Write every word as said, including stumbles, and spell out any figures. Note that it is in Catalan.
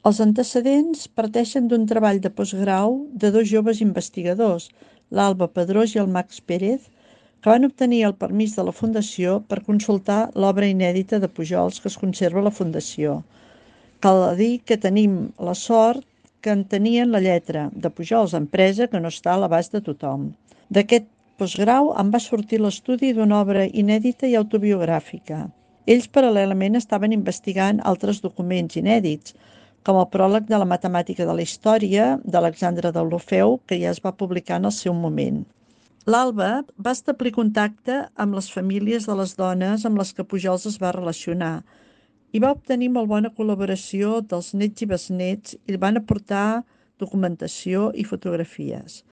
Els antecedents parteixen d'un treball de postgrau de dos joves investigadors, l'Alba Pedrós i el Max Pérez, que van obtenir el permís de la Fundació per consultar l'obra inèdita de Pujols que es conserva a la Fundació. Cal dir que tenim la sort que en tenien la lletra de Pujols, empresa que no està a l'abast de tothom. D'aquest postgrau en va sortir l'estudi d'una obra inèdita i autobiogràfica. Ells paral·lelament estaven investigant altres documents inèdits, com el pròleg de la matemàtica de la història d'Alexandre Deulofeu, que ja es va publicar en el seu moment. L'Alba va establir contacte amb les famílies de les dones amb les que Pujols es va relacionar i va obtenir molt bona col·laboració dels nets i besnets i van aportar documentació i fotografies.